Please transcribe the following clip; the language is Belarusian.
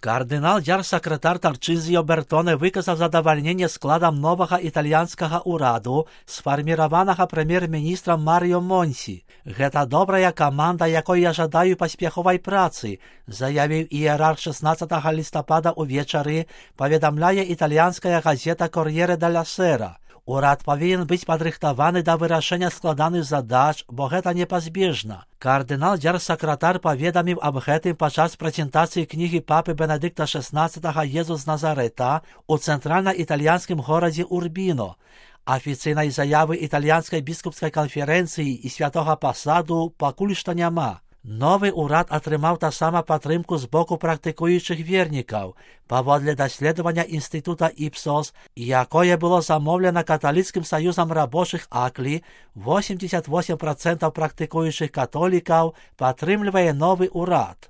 Кардинал дзяржсакратар Тарчызіо Бертоне выказаў задавальненне складам новага італьянскага ўраду, сфарміраванага прэм'ер-міністрам Марыё Монці. Гэта добрая каманда, якой я жадаю паспяховай працы, заявіў іерарх 16 лістапада ўвечары, паведамляе італьянская газета «Кор'ере деля Сера». Урад павінен быць падрыхтаваны да вырашэння складаных задач, бо гэта непазбежна. Кардынал дзяржсакратар паведаміў аб гэтым падчас прэзентацыі кнігі папы Бенедыкта XVI «Езус з Назарэта» у цэнтральна-італьянскім горадзе Урбіно. Афіцыйнай заявы італьянскай біскупскай канферэнцыі і святога пасаду пакуль што няма. Новы ўрад атрымаў таксама падтрымку з боку практыкуючых вернікаў. Паводле даследавання інстытута Ipsos, якое было замоўлена каталіцкім саюзам рабочых Аклі, 88% практыкуючых католікаў падтрымлівае новы ўрад.